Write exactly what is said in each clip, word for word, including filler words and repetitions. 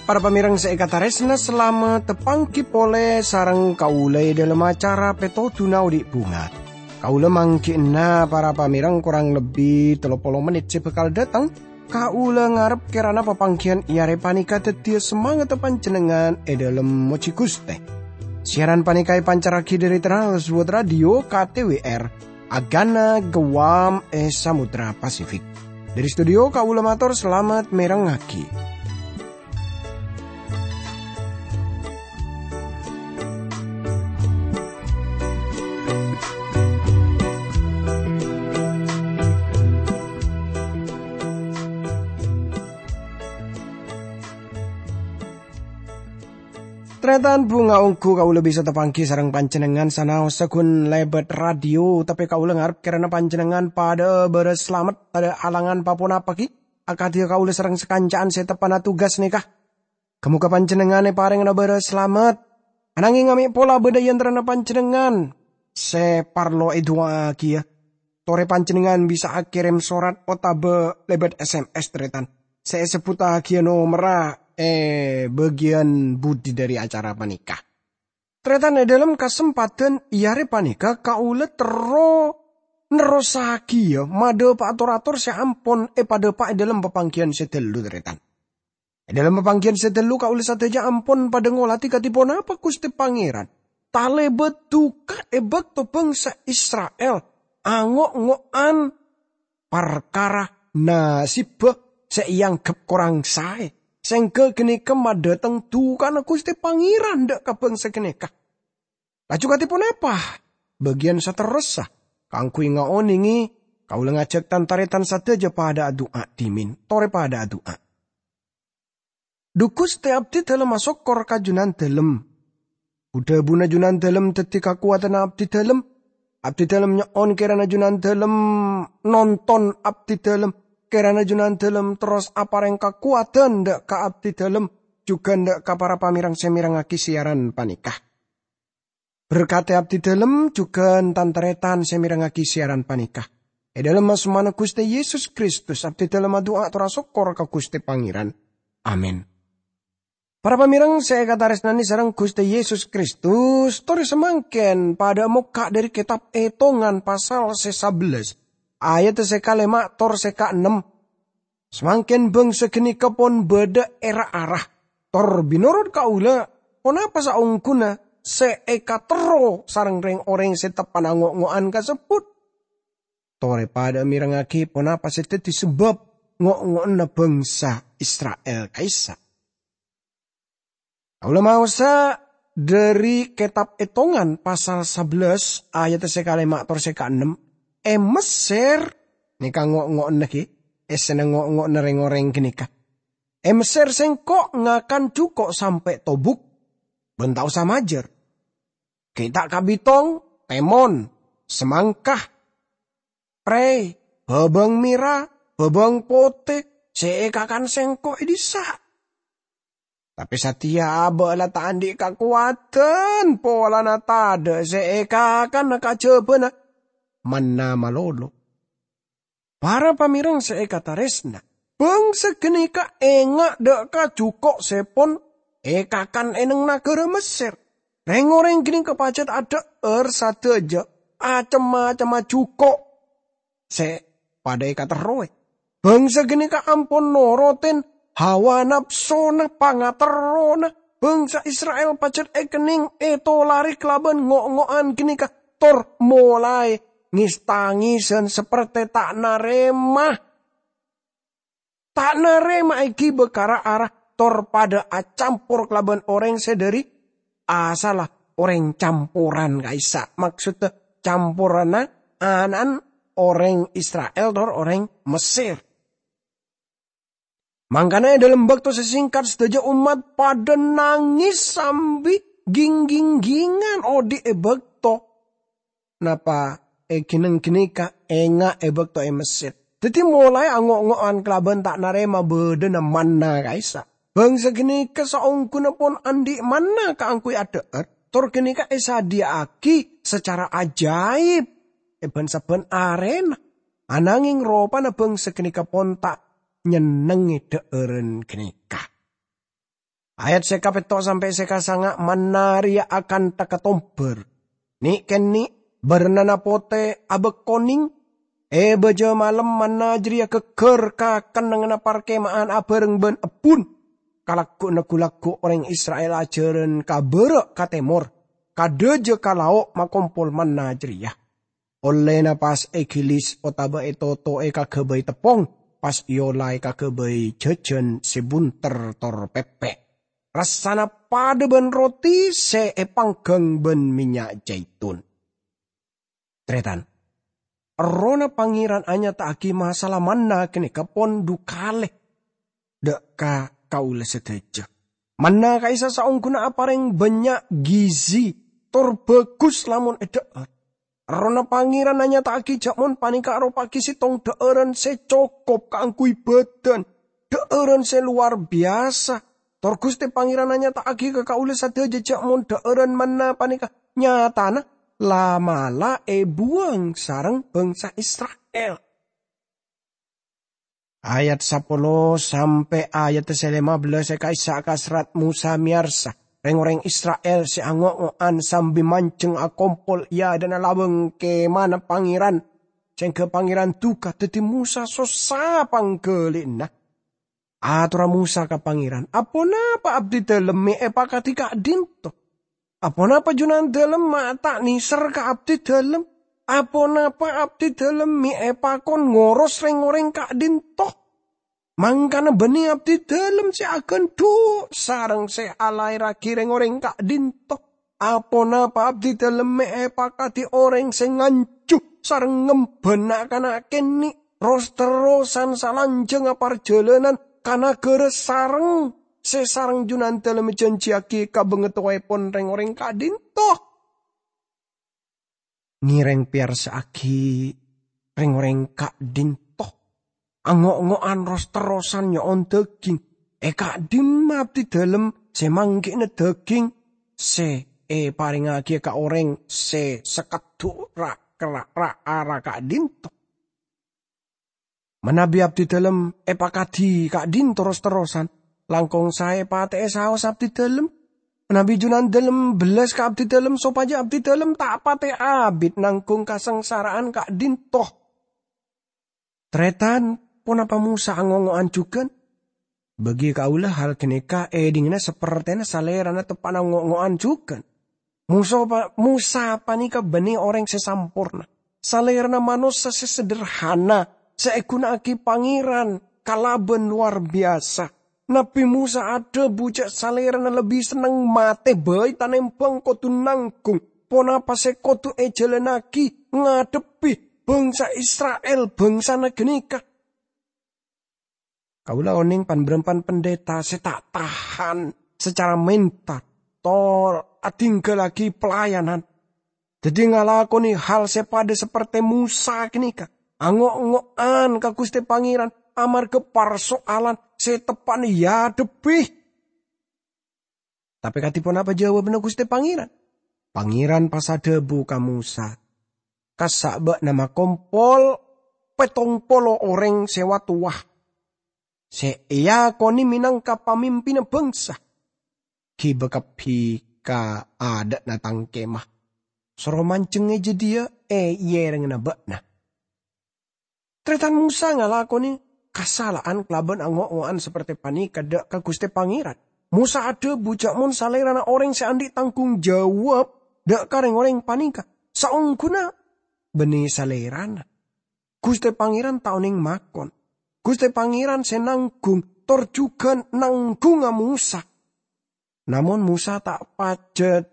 Para pamèrèng sè èkatarèsna, salamet tapangghi polè sareng kaulâ è dhâlem acara Pètodhuna Odi' Bhunga. Kaulâ mangghi'na para pamèrèng korang lebbi tello polo mennit sè bhâkal dâteng. Kaulâ ngarep kèrana papangghiyân è arè panèka dhâddhiyâ samangatta panjhennengngan è dhâlem mojhi Ghustè. Siaran panèka èpancarraghi dhâri Trans World Radio K T W R, Agana Guam è Samudra Pasifik. Dhâri studio kaulâ mator salamet mèrengngaghi. Tarètan, bhunga ongghu kaulâ bisa tapangghi sareng panjhennengngan sanaossa ghun lèbât radio, tapè kaulâ ngarep kèrana panjhennengngan padâ bârâs salamet, tadâ' halangan pa-ponapa ghi, akadhi kaulâ sareng sakanca'an sè teppa'na tugas nèka. Ghâ-moghâ panjhennengngan èparèngana bârâs salamet. Ananghing amè' pola bâdâ è antarana panjhennengngan sè parlo èdu'aaghiyâ, torè panjhennengngan bisa akèrèm sorat otabâ lèbât S M S, tarètan, sè èsebbhuttaghiyâ nomerra è bâgiyân budi dhâri acara panèka. Tarètan, è dhâlem kasempadhân è arè panèka kaulâ terro nerrossaghiyâ madhâpa'a tor-ator sè ampon èpadhâpa' è dhâlem papangghiyân sè ghâllu, tarètan. È dhâlem papangghiyân sè ghâllu kaulâ sadhâjâ ampon padâ ngolatè kadhi ponapa Ghustè Pangèran talèbât duka è bâkto bhângsa Isra'il ango'-ngo'an parkara nasibbhâ sè èangghep korang saè, sèngghâ ghânèka madhâteng dukana Ghustè Pangèran dâ' ka bhângsa ghânèka. Laju kadhi ponapa bâgiyân saterrossa? Kaangghuy ngaonèngè, kaulâ ngajhâk tan-tarètan sadhâjâ padâ adu'a dhimèn. Torè padâ adu'a. Dhu Ghustè, abdhidhâlem asokkor ka Junandhâlem. Bu-dhâbuna Junandhâlem dhâddhi kakowadhânna abdhidhâlem. Abdhidhâlem nyo'on kèrana Junandhâlem nonton abdhidhâlem. Kèrana Junandhâlem terros aparèng kakowadhân dâ' ka abdhidhâlem, jhughân dâ' ka para pamèrèng sè mèrengngaghi siaran panèka. Berkadhi abdhidhâlem jhughân tan-tarètan sè mèrengngaghi siaran panèka. È dhâlem asmana Ghustè Yesus Kristus, abdhidhâlem adu'a tor asokkor ka Ghustè Pangèran. Amin. Para pamèrèng sè èkatarèsnanè sareng Ghustè Yesus Kristus, torè samangkèn padâ mokka' dhâri Kètab Ètongan pasal sè sabellâs, ayat sè kalèma' tor sè kaennem. Samangkèn bhângsa ghânèka pon bâdâ è ra-ara. Tor mènorot kaulâ, ponapa saongghuna sè èkaterro sareng rèng-orèng sè teppa'na ngo'-ngo'an kasebbhut? Torè padâ mèrengngaghi ponapa sè dhâddhi sabâb ngo'-ngo'anna bhângsa Isra'il ka'issa'. Kaulâ maosa dhâri Kètab Ètongan pasal sabellâs ayat sè kalèma' tor sè kaennem, è Messèr, nèka ngo'-ngo'anna ghi, èssèna ngo'-ngo'anna rèng-orèng ghânèka. È Messèr sèngko' ngakan jhuko' sampè' tobuk, bân ta' osa majâr. Ghi' ta' kabitong, tèmon, samangka, prè, bhâbâng mèra, bhâbâng potè, sè èkakan sèngko' è dissa'. Tapè satèya abâ' la ta' andi' kakowadhân polana tadâ' sè èkakan kajhâbhâna manna malolo. Para pamèrèng sè èkatarèsna, bhângsa ghânèka enga' dâ' ka jhuko' sè pon èkakan è neng naghârâ Messèr. Rèng-orèng ghânèka pajhât adhâ'âr sadhâjâ cem-macemma jhuko' sè padâ èkaterrowè. Bhângsa ghânèka ampon norotè hawa napsona, pangaterrona. Bhângsa Isra'il pajhât èkennèng ètolarè kalabân ngo'-ngo'an ghânèka, tor molaè ngès-tangèsan saperte ta' narèma. Ta' narèma èghibâ ka ra-ara, tor padâ acampor kalabân orèng sè dhâri asalla orèng camporan ka'issa', maksoddhâ camporanna ana'na orèng Isra'il tor orèng Messèr. Mangkana è dhâlem bâkto sè sèngkat, sadhâjâ ommat padâ nangès sambi ging-ginggingan odi' è bâkto napa èghinèng ghânèka enga' è bâkto è Messèr. Dhâddhi molaè ango'-ngo'an kalabân ta' narèma bâdâna manna ka'issa'. Bhângsa ghânèka saongghuna pon andi' manna kaangghuy adhâ'âr, tor ghânèka èsadhiyâ'âghi sacara ajaib è bân-sabbhân arèna. Ananghing ropana bhângsa ghânèka pon ta' nyennengngè dhâ'ârân ghânèka. Ayat sè kapètto' sampè' sè kasanga', manna rèya akantha katombhâr. Nè'-kènè' bârnana potè abâ' konèng. È bâjâ malem manna jârèya ghâggâr ka kennengnganna parkema'an abhâreng bân ebbhun. Kalaggu'na ghu-lagghu' orèng Isra'il ajhârân ka bârâ' ka tèmor, ka dâjâ ka lao' makompol manna jârèya. Ollèna pas èghilis otabâ ètoto'è kaghâbây teppong, pas èola èkaghâbây jhâjhân sè bunter tor pèpè'. Rassana padâ bân roti sè èpangghâng bân mènnya' jaitun. Tarètan, Errohna Pangèran anyata'aghi masalah manna ghânèka pon dhu kalè dâ' ka kaulâ sadhâjâ. Manna ka'issa' saongghuna aparèng bânnya' gizi, tor bhâghus lamon èdhâ'âr. Errohna Pangèran anyata'aghi jhâ' mon panèka aropa'aghi sèttong dhâ'ârân sè cokop kaangghuy bâdân, dhâ'ârân sè lowar biyasa. Tor Ghustè Pangèran anyata'aghi ka kaulâ sadhâjâ jhâ' mon dhâ'ârân manna panèka nyatana la'-mala' èbuwâng sareng bhângsa Isra'il. Ayat sapolo sampè' ayat sè lèma bellâs è ka'issa' ka serrat Mosa mèyarsa rèng-orèng Isra'il sè ango'-ngo'an sambi manjheng akompol è adâ'na labâng Kèmana Pangèran, sèngghâ Pangèran duka. Dhâddhi Mosa sossa pangghâli'ânna. Atorra Mosa ka Pangèran, "Aponapa abdidhâlem mè' èpakadhi ka'dinto? Aponapa Junandhâlem ma' ta' nèser ka abdidhâlem? Aponapa abdidhâlem mè' èpakon ngoros rèng-orèng ka'dinto? Mangkana bânnè abdidhâlem sè aghândhu' sareng sè alaèrraghi rèng-orèng ka'dinto. Aponapa abdidhâlem mè' èpakadhi orèng sè nganjhu sareng ngembhâna kana' kènè' ros-terrosan salanjhângnga parjhâlânan ka naghârâ sareng sè sareng Junandhâlem èjhânjhiyaghi ka bângatowaèpon rèng-orèng ka'dinto?" Ngèrèng pèyarsa'aghi rèng-orèng ka'dinto, ango'-ngo'an ros-terrosan nyo'on dhâghing. È ka'dimma abdidhâlem sè mangghi'na dhâghing sè èparèngaghi ka orèng sè sakeddhu' ra-, ra-, ra-, ra ka'dinto? Manabi abdidhâlem èpakadhi ka'dinto ros-terrosan, langkong saè patè'è saos abdidhâlem. Manabi Junandhâlem bellas ka abdidhâlem sopajâ abdidhâlem ta' patè abit nangghung kasangsara'an ka'dinto. Tarètan, ponapa Mosa ango'-ngo'an jhughân? Bagi kaulâ hal ghânèka èdingngana sapertèna salèrana teppa'na ngo'-ngo'an jhughân. Mosa pa-, Mosa panèka bânnè orèng sè samporna. Salèrana manossa sè sederhana, sè èghuna'aghi Pangèran kalabân lowar biyasa. Nabbhi Mosa adhâbu jhâ' salèrana lebbi senneng matè bhâi tanèmbhâng kodhu nangghung ponapa sè kodhu èjhâlânnaghi ngadhebbhi bhângsa Isra'il, bhângsana ghânèka. Kaulâ onèng pan-bârâmpan pendeta sè ta' tahan sacara mental, tor adhinggâllaghi pelayanan. Dhâddhi ngalakonè hal sè padâ sapertè Mosa ghânèka, ango'-ngo'an ka Ghustè Pangèran amarghâ parsoalan sè teppa'na èadhebbhi. Tapè kadhi ponapa jâwâbbhânna Ghustè Pangèran? Pangèran pas adhâbu ka Mosa, "Kassa' bâ'na makompol pèttong polo orèng sè wa-towa, sè èakonè mènangka pamimpinna bhângsa, ghibâ kabbhi ka adâ'na tang kemah. Soro manjheng è jâdiyâ è yèrèngnganna bâ'na." Tarètan Mosa ngalakonè kasala'an kalabân ango'-ngo'an sapertè panèka dâ' ka Ghustè Pangèran. Mosa adhâbu jhâ' mon salèrana orèng sè andi' tangghung jawab dâ' ka rèng-orèng panèka, saongghuna bânnè salèrana. Ghustè Pangèran ta' onèng makon. Ghustè Pangèran sè nangghung, tor jhughân nangghungnga Mosa. Namong Mosa ta' pajhât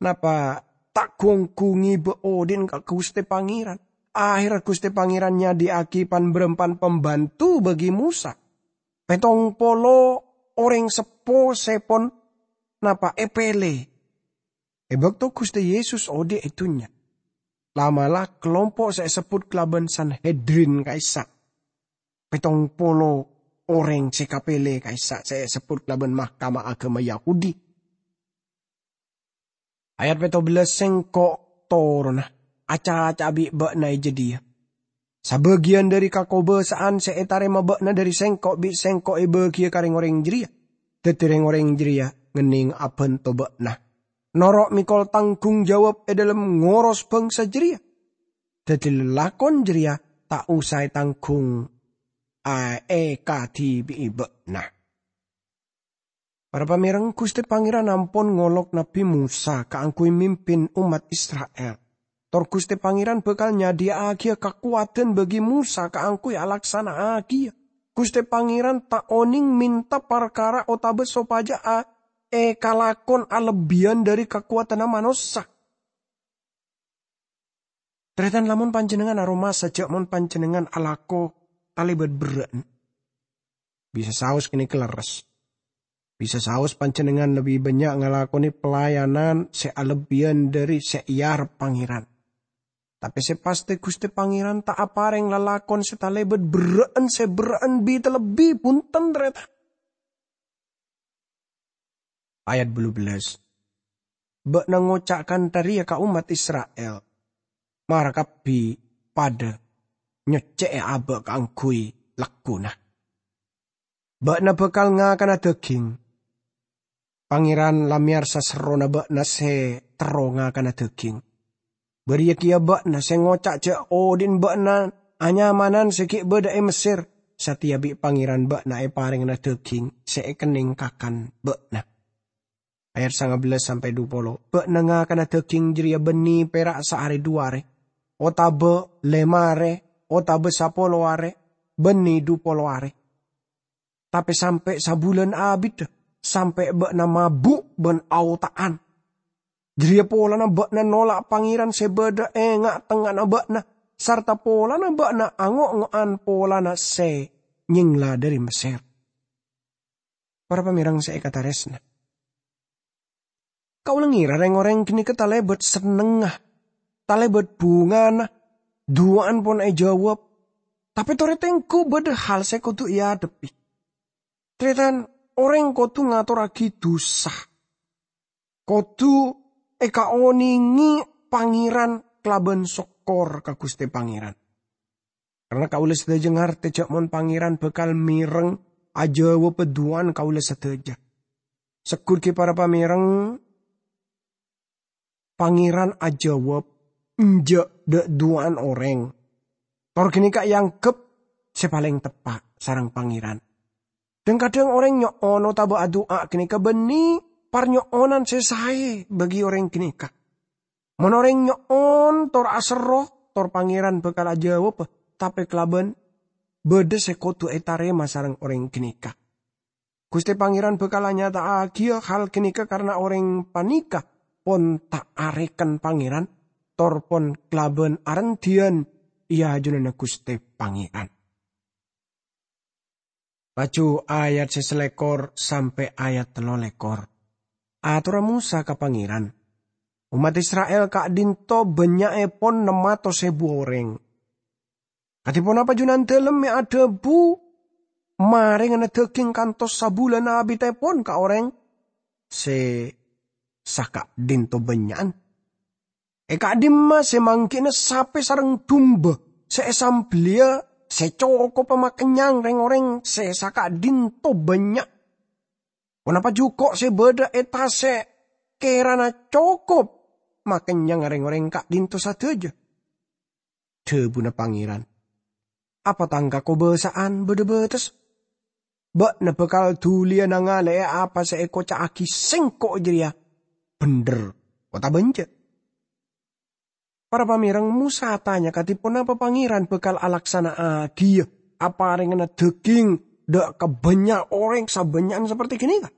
napa ta' ghu-ongghu ngibâ odi'na ka Ghustè Pangèran. Ahèrra Ghustè Pangèran nyadhiyâ'aghi pan-bârâmpan pambhânto bagi Mosa. Pèttong polo orèng seppo sè pon napa èpèlè. È bâkto Ghustè Yesus odi' è dhunnya, la'-mala' kalompo' sè èsebbhut kalabân Sanhedrin ka'issa'. Pèttong polo orèng sè èkapèlè ka'issa' sè èsebbhut kalabân Mahkamah Agama Yahudi. Ayat pètto bellâs, "Sèngko' toronna, acaca'a bi' bâ'na è jâdiyâ. Sabâgiyân dhâri kakobâsa'an sè ètarèma bâ'na dhâri Sèngko' bi' Sèngko' èbâgiyâ ka rèng-orèng jârèya. Dhâddhi rèng-orèng jârèya ngennèng abhânto bâ'na. Noro' mèkol tangghung jawab è dhâlem ngoros bhângsa jârèya. Dhâddhi lalakon jârèya ta' osa ètangghung, a, èkadhibi'i bâ'na." Para pamèreng, Ghustè Pangèran ampon ngolok Nabbhi Mosa kaangghuy mimpin ommat Isra'il. Tor Ghustè Pangèran bhâkal nyadhiyâ'aghiyâ kakowadhân bagi Mosa kaangghuy alaksana'aghiyâ. Ghustè Pangèran ta' onèng mènta parkara otabâ sopajâ a-, èkalakon alebbiyân dhâri kakowadhânna manossa. Tarètan, lamon panjhennengngan aromasa jhâ' mon panjhennengngan alako talèbât berrâ'na, bisa saos ghânèka lerres. Bisa saos panjhennengngan lebbi bânnya' ngalakonè pelayanan sè alebbiyân dhâri sè èarep Pangèran. Tapè sè pastè Ghustè Pangèran ta' aparèng lalakon sè talèbât berrâ'na sè berrâ'na bi-, talebbi, bhunten, tarètan. Ayat bâllu bellâs. "Bâ'na ngoca' kantha rèya ka ommat Isra'il, 'Mara kabbhi padâ nyoccè'è abâ' kaangghuy lagghuna. Bâ'na bhâkal ngakana dhâghing. Pangèran la mèyarsa serrona bâ'na sè terro ngakana dhâghing. Bâriyâ kèya bâ'na sè ngoca' jhâ' odi'na bâ'na anyamanan sè ghi' bâdâ è Messèr, satèya bi' Pangèran bâ'na èparèngana dhâghing sè èkennèng kakan bâ'na.'" Ayat sanga bellâs sampè' dupolo. "Bâ'na ngakana dhâghing jârèya bânnè pèra' saarè du arè, otabâ lèma arè, otabâ sapolo arè, bânnè dupolo arè. Tapè sampè' sabulân abiddhâ, sampè' bâ'na mabu' bân aota'an. Jârèya polana bâ'na nola' Pangèran sè bâdâ è nga'-tengnga'anna bâ'na, sarta polana bâ'na ango'-ngo'an polana sè nyèngla dhâri Messèr." Para pamèreng sè èkatarèsna, kaulâ ngèra rèng-orèng ghânèka talèbât sennengnga, talèbât bhungana, duwâ'ân pon èjâwâb. Tapè torè tengghu bâdâ hal sè kodhu èadhebbhi. Tarètan, orèng kodhu ngatorraghi dhusa. Kodhu èkaonèngè Pangèran kalabân sokkor ka Ghustè Pangèran. Karna kaulâ sadhâjâ ngartè jhâ' mon Pangèran bhâkal mèreng ajâwâbhâ duwâ'ân kaulâ sadhâjâ. Segghut ghi para pamèreng, Pangèran ajâwâb enjâ' dâ' duwâ'ân orèng. Tor ghânèka èangghep sè palèng teppa' sareng Pangèran. Dhâng-kadhâng orèng nyo'on otabâ adu'a ghânèka bânnè parnyo'onan sè saè bagi orèng ghânèka. Mon orèng nyo'on tor aserro, tor Pangèran bhâkal ajâwâb, tapè kalabân bâdâ sè kodhu ètarèma sareng orèng ghânèka. Ghustè Pangèran bhâkal anyata'aghiyâ hal ghânèka karna orèng panèka pon ta' arèken Pangèran, tor pon kalabân arendhiyân è ajunanna Ghustè Pangèran. Laju ayat sè salèkor sampè' ayat tello lèkor. Atorra Mosa ka Pangèran, "Ommat Isra'il ka'dinto bânnya'èpon nem atos èbu orèng. Kadhi ponapa Junandalem mè' adhâbu marèngana dhâghing kantos sabulân abiddhâèpon ka orèng sè saka'dinto bânnya'an? È ka'dimma sè manggina sapè sareng dumba sè èsambelliyâ sè cokobhâ makennyang rèng-orèng sè saka'dinto bânnya'? Ponapa jhuko' sè bâdâ è tasè' kèrana cokop makennyang rèng-orèng ka'dinto sadhâjâ?" Dhâbuna Pangèran, "Apa Tang kakobâsa'an bâdâ bâtessa? Bâ'na bhâkal dhuliyâ nangalè'è apa sè èkoca'aghi Sèngko' jârèya bhendher otabâ enjâ'?" Para pamèreng, Mosa atanya kadhi ponapa Pangèran bhâkal alaksana'aghiyâ aparèngana dhâghing dâ' ka bânnya' orèng sabânnya'an saperte ghânèka.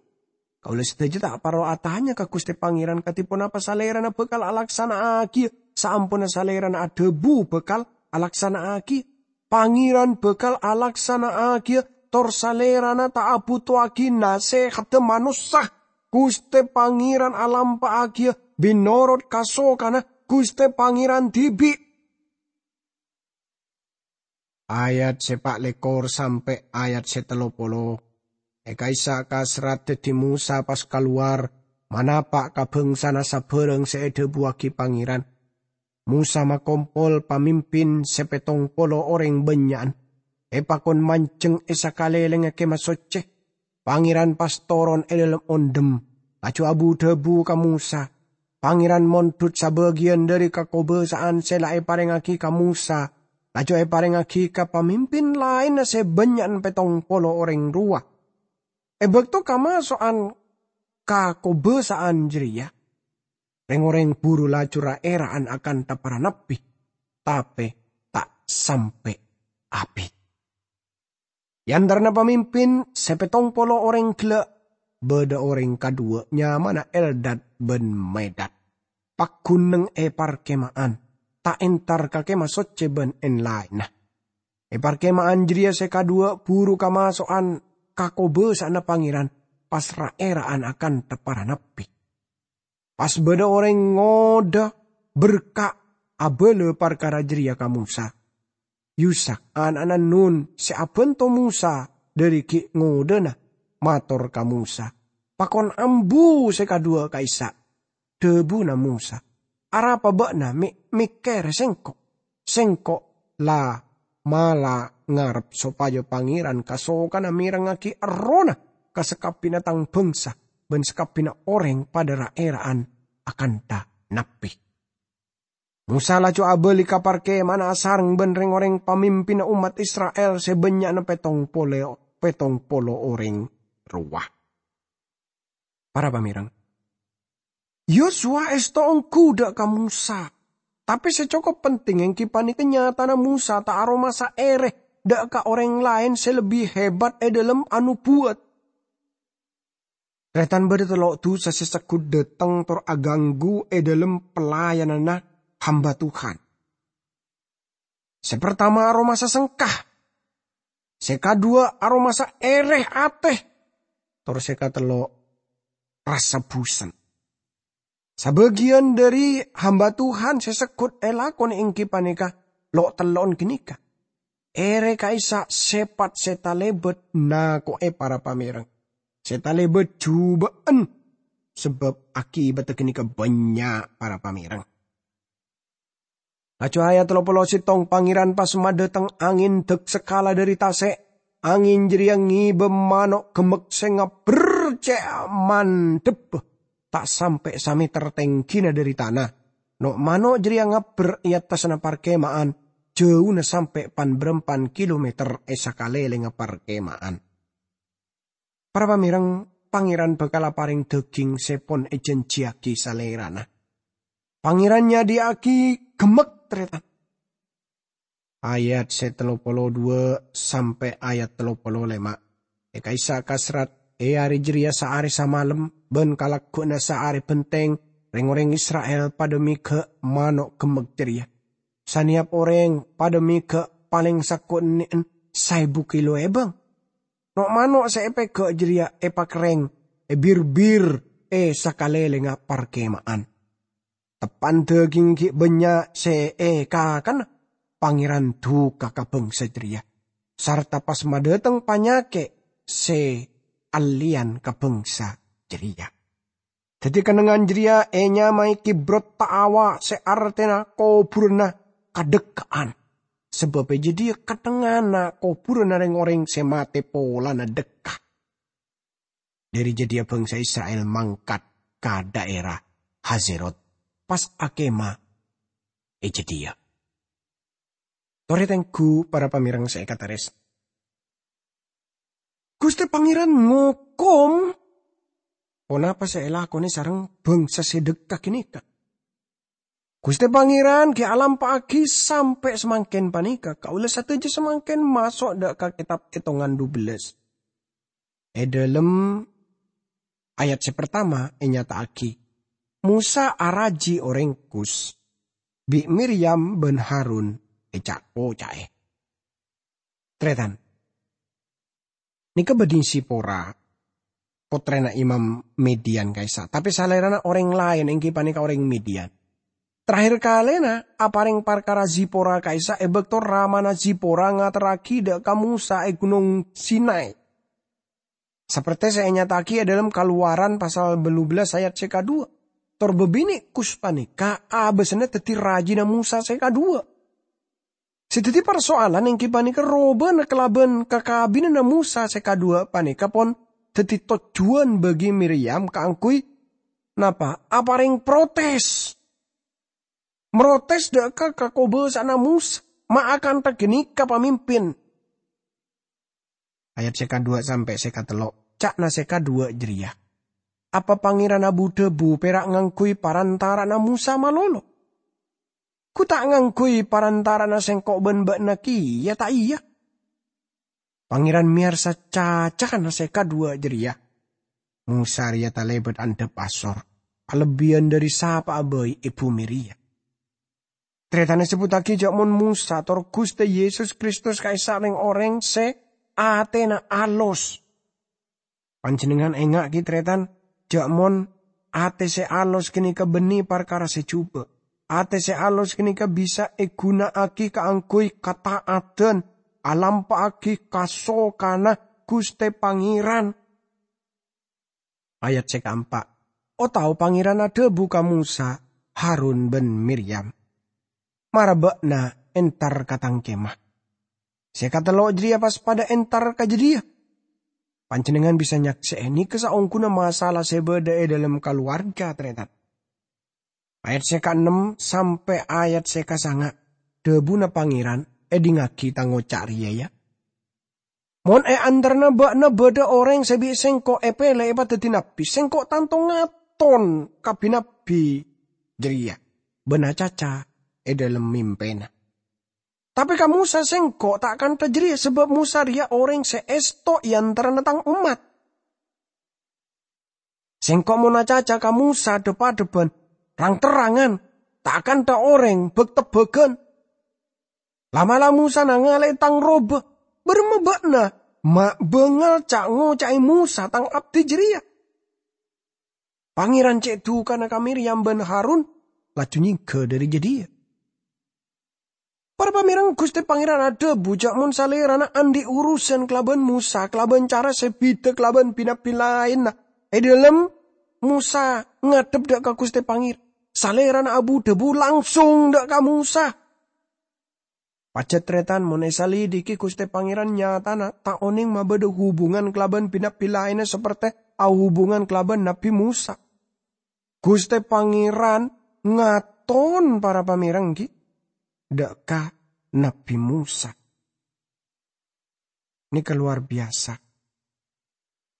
Kaulâ sadhâjâ ta' parlo atanya ka Ghustè Pangèran kadhi ponapa Salèrana bhâkal alaksana'aghiyâ saamponna Salèrana adhâbu bhâkal alaksana'aghiyâ. Pangèran bhâkal alaksana'aghiyâ, tor Salèrana ta' abhutoaghi nasèhadhâ manossa. Ghustè Pangèran alampa'aghiyâ mènorot kasokanna Ghustè Pangèran dhibi'. Ayat se pa' lekor sampe' ayat se tello polo. E ka'issa' kasrat daddi Mosa pas kalowar manapa' ka bangsana sabârâng se edhabuwagi Pangeran. Mosa makompol pamimpin se pettong polo oreng bannya'an, epakon manjeng e sakalelengnga Kemah Socce. Pangeran pas toron e dhalem ondhem, laju abu-dhabu ka Mosa. Pangeran mondhut sabagiyan dhari kakobasa'an se la eparengngagi ka Mosa, laju eparengngagi ka pamimpin laenna se bannya'an pettong polo oreng rowa. E bakto kamaso'an kakobasa'an jareya, reng-oreng buru laju ra-era'an akanta para nabbi, tape ta' sampe' abit. E antarana pamimpin se pettong polo oreng gella', badha oreng kadhuwa nyamana Eldad ban Medad, paggun neng e parkema'an, ta' entar ka Kemah Socce ban en-laenna. E parkema'an jareya se kadhuwa buru kamaso'an kakobasa'anna Pangeran, pas ra-era'an akanta para nabbi. Pas badha oreng ngoda berka' abala parkara jareya ka Mosa. Yusak, ana'na Nun se abanto Mosa dhari gi' ngodana, mator ka Mosa, "Pakon ambu se kadhuwa ka'issa'." Dhabuna Mosa, "Arapa ba'na me' mekkere sengko'? Sengko' la mala ngarep sopaja Pangeran kasokana merengngagi errohna ka sakabbina tang bangsa, ban sakabbina oreng padha ra-era'an akanta nabbi." Mosa laju abali ka parkema'anna asareng ban reng-oreng pamimpinna ommat Isra'il se bannya'na pettong polo, pettong polo oreng rowa. Para pamereng, Yosua esto onggu dha' ka Mosa, tape se cokop penting enggi paneka nyatana Mosa ta' aromasa ere dha' ka oreng laen se lebbi hebat e dhalem anobuwat. Taretan, badha tello' dusa se seggut dhateng tor aganggu e dhalem pelayananna hamba Tuhan. Se partama aromasa sengka, se kadhuwa aromasa ere ate, tor se katello' rasa busen. Sabagiyan dhari hamba Tuhan se seggut elakone enggi paneka lo'-tello'en ganeka. Ere ka'issa' sepat se talebat nako'e para pamereng, se talebat juba'an, sabab akibatta ganeka bannya' para pamereng. Laju ayat tello polo settong, Pangeran pas madhateng angin dak-sakala dhari tase'. Angin jareya ngeba mano' gemmek se ngabber ce' mandhebba, ta' sampe' sameter tenggina dhari tana. No'-mano' jareya ngabber e attasna parkema'an, jauna sampe' pan-barampan kilometer e sakalelengnga parkema'an. Para pamereng, Pangeran bakal apareng daging se pon ejanjiyagi Salerana. Pangeran nyadhiya'agi gemmek, taretan. Ayat se tello polo dhuwa' sampe' ayat tello polo lema'. E ka'issa' kasrat, e are jareya saare samalem ban kalagguwanna saare benteng, reng-oreng Isra'il padha mega' mano' gemmek jareya. Saneyap oreng padha mega' paleng sakko' enne'en saebu kilo ebang. No'-mano' se epega' jareya epakerreng e bir-bir e sakalelengnga parkema'an. Teppan daging gi' bannya' se ekakana, Pangeran duka ka bangsa jareya, sarta pas madhateng panyake' se alleyan ka bangsa jareya. Daddi, kennengngan jareya enyamae Kibrot Ta'awa, se artena koburanna kadhekka'an, sabab e jadhiya kennengnganna koburanna reng-oreng se mate polana dhekka. Dhari jadhiya bangsa Isra'il mangkat ka dhaera Hazerot, pas akemah e jadhiya. Tore tenggu, para pamereng se ekataresna. Guste Pangeran ngokom ponapa se elakone sareng bangsa se dhekka ganeka. Guste Pangeran gi' alampa'agi sampe' samangken paneka, kaula sadaja samangken maso' dha' ka Ketab Etongan dubellâs. E dhalem ayat se partama enyata'agi, Mosa araji oreng Kus, bi' Miryam ban Harun eca'-koca'e. Taretan, neka badhi Sipora, pottrena Imam Midian ka'issa', tape salerana oreng laen, enggi paneka oreng Midian. Terakhir kalena apareng parkara Zipora ka'issa' e bakto ramana Zipora ngaterragi dha' ka Mosa e Gunong Sinai. Saperte se enyata'agi e dhalem Kalowaran pasal bâllu bellas ayat se kadhuwa, tor babine' Kus paneka abasana daddi rajina Mosa se kadhuwa. Se daddi parsoalan enggi paneka robana kalaban kakabinanna Mosa se kadhuwa paneka pon daddi tojjuwan bagi Miryam kaangguy napa? Apareng protes. Mrotes dha' ka kakobasa'anna Mosa, ma' akantha ganeka pamimpin. Ayat se kadhuwa sampe' se katello', ca'na se kadhuwa jareya, "Apa Pangeran abu-dhabu pera' ngangguy parantara'anna Mosa malolo? Gu ta' ngangguy parantara'anna sengko' ban ba'na keya, ta' iya?" Pangeran meyarsa cacana se kadhuwa jareya. Mosa reya talebat andhap asor, alebbiyan dhari sapa'a bai e bume reya. Taretan, esebbuttagi ja' mon Mosa tor Guste Yesus Kristus ka'issa' reng-oreng se atena alos. Panjennengngan enga'agi, taretan, ja' mon ate se alos ganeka banne parkara se juba'. Ate se alos ganeka bisa eguna'agi kaangguy kata'adan, alampa'agi kasokana Guste Pangeran. Ayat se kaempa', "Otabana Pangeran adhabu ka Mosa, Harun ban Miryam, 'Mara ba'na entar ka tang kemah.' Se katello' jareya pas padha entar ka jadhiya." Panjennengngan bisa nyakse'e neka saongguna masalah se badha e dhalem kalowarga, taretan. Ayat se kaennem sampe' ayat se kasanga, dhabuna Pangeran, "Edhingngagi tang oca' reya, ya. Mon e antarana ba'na badha oreng se bi' Sengko' epele epadaddi nabbi, Sengko' tanto ngaton ka bi-nabbi jareya ban acaca e dhalem mimpena. Tape ka Mosa Sengko' ta' kantha jareya, sabab Mosa reya oreng se esto e antarana tang ommat." Sengko' mon acaca ka Mosa dhep-adhebban, rang-terrangan, ta' akantha oreng bak-tebbagan. La'-mala' Mosa nangale'e tang roba. Baramma ba'na ma' bangal ca'-ngoca'e Mosa tang abdi jareya? Pangeran ce' dukana ka Miryam ban Harun, laju nyengga dhari jadhiya. Para pamereng, Guste Pangeran adhabu ja' mon Salerana andhi' urusan kalaban Mosa kalaban cara se bida kalaban bi-nabbi laenna. E dhalem Mosa ngadhep dha' ka Guste Pangeran, Salerana abu-dhabu langsung dha' ka Mosa. Pajat, taretan, mon esalidiki, Guste Pangeran nyatana ta' oneng mabadha hubungan kalaban bi-nabbi laenna saperte ahubungan kalaban Nabbi Mosa. Guste Pangeran ngaton, para pamereng, gi, dha' ka Nabbi Mosa. Neka lowar biyasa.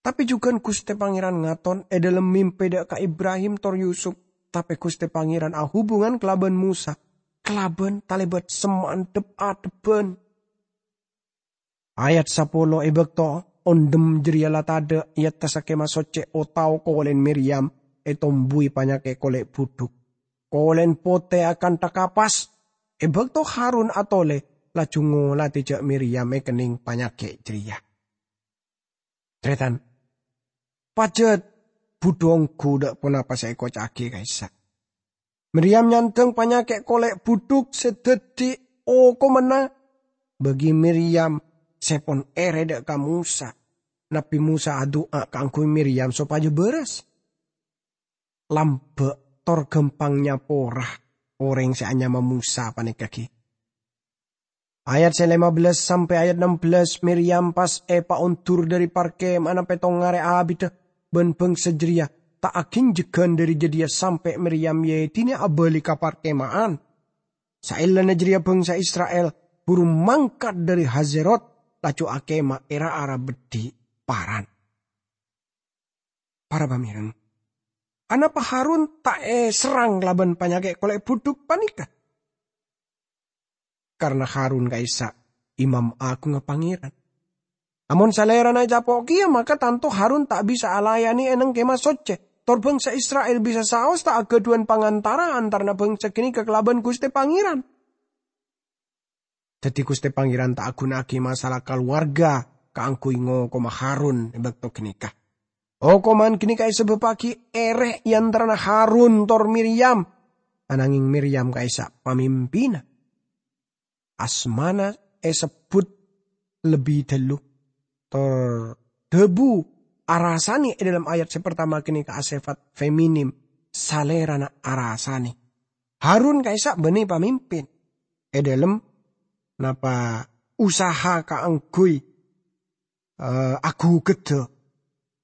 Tape jugan Guste Pangeran ngaton e dhalem mimpe dha' ka Ibrahim tor Yusup, tape Guste Pangeran ahubungan kalaban Mosa kalaban talebat semma' dhep-adhebban. Ayat sapolo, e bakto ondhem jareya la tadha' e attassa Kemah Socce otabana kolen Miryam etombuwi panyake' kole' budhuk. Kolen pote akantha kapas. E bakto Harun atole, laju ngolade ja' Miryam ekenneng panyake' jareya. Taretan, pajat budhu onggu dha' ponapa se ekoca'agi ka'issa'. Miryam nyandhang panyake' kole' budhuk se daddi okomanna bagi Miryam se pon ere dha' ka Mosa. Nabbi Mosa adu'a kaangguy Miryam sopaja baras. Lamba' tor gampang nyapora oreng se anyama Mosa paneka, gi. Ayat se lima belas sampe' ayat enam belas, Miryam pas epaondur dhari parkema'anna pettong are abidda ban bangsa jareya ta' aginjegan dhari jadhiya sampe' Miryam yaedine abali ka parkema'an. Saellana jareya bangsa Isra'il buru mangkat dhari Hazerot, laju akema' e ra-ara beddhi Paran. Para pamereng, anapa Harun ta' eserrang kalaban panyake' kole' budhuk paneka? Karna Harun ka'issa' imam agungnga Pangeran. Amon salerana ecapo' keya, maka tanto Harun ta' bisa alayane e neng Kemah Socce, tor bangsa Isra'il bisa saos ta' agadhuwan pangantara antarana bangsa ganeka kalaban Guste Pangeran. Daddi, Guste Pangeran ta' aguna'agi masalah kalowarga kaangguy ngokoma Harun e bakto ganeka. Okoman ganeka esebbuttagi ere e antarana Harun tor Miryam. ananging Miryam ka'issa' pamimpinna. Asmana èsebbhut lebbi dâllu, tor dhâbu arasane è dâlem ayat sè partama ghânèka asèfat feminim, salèrana arasane. Harun ka'issa' bânnè pamimpin è dâlem napa usaha kaangghuy, eh, aghugedda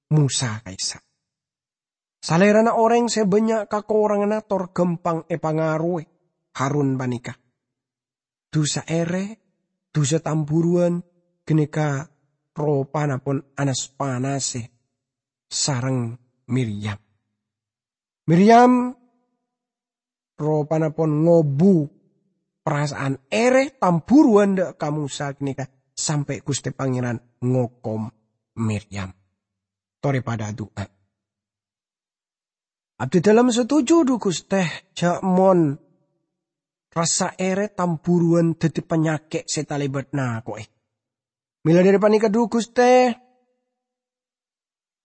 Mosa ka'issa'. Salèrana orèng sè bânnya' kakoranganna tor ghâmpang èpangaroè Harun panèka. Dhusa èrè, dhusa tamburuwân ghânèka ropana pon anas-panasè sareng Miryam. Miryam ropana pon ngobu parasaan èrè tamburuwân dâ' ka Mosa ghânèka sampè' Ghustè Pangèran ngokom Miryam. Torè padâ adu'a. Abdidâlem satuju, dhu Ghustè, jhâ' mon rassa èrè tamburuwân dhâddhi panyakè' sè talèbât nako'è. Mèla dâri panèka, dhu Ghustè,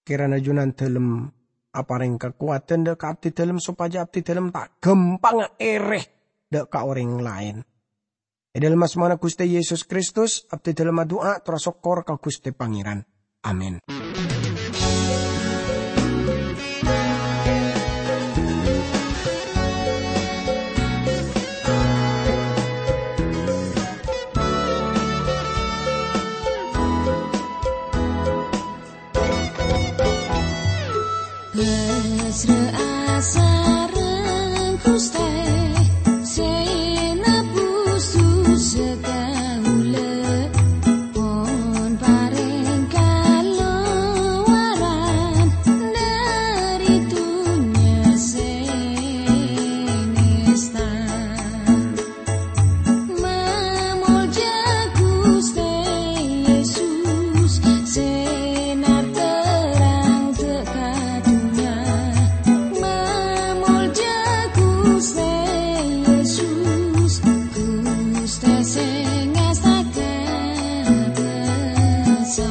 kèrana Jhunandâlem aparèng kakowadhân dâ' ka abdidâlem sopajâ abdidâlem ta' ghâmpangnga èrè dâ' ka orèng laèn. È dâlem asmana Ghustè Yesus Kristus, abdidâlem adu'a tor asokkor ka Ghustè Pangèran. Amin. Pasra'a sareng Ghustè sè nabus dhusa kaulâ, pon parèng kalowaran dâri dhunnya sè nèsta. Mamolja Ghustè Yesus, sè narterrang dâ' ka dhunnya. Mamolja Ghustè Yesus, Ghustè sè ngasta ka dhâsa.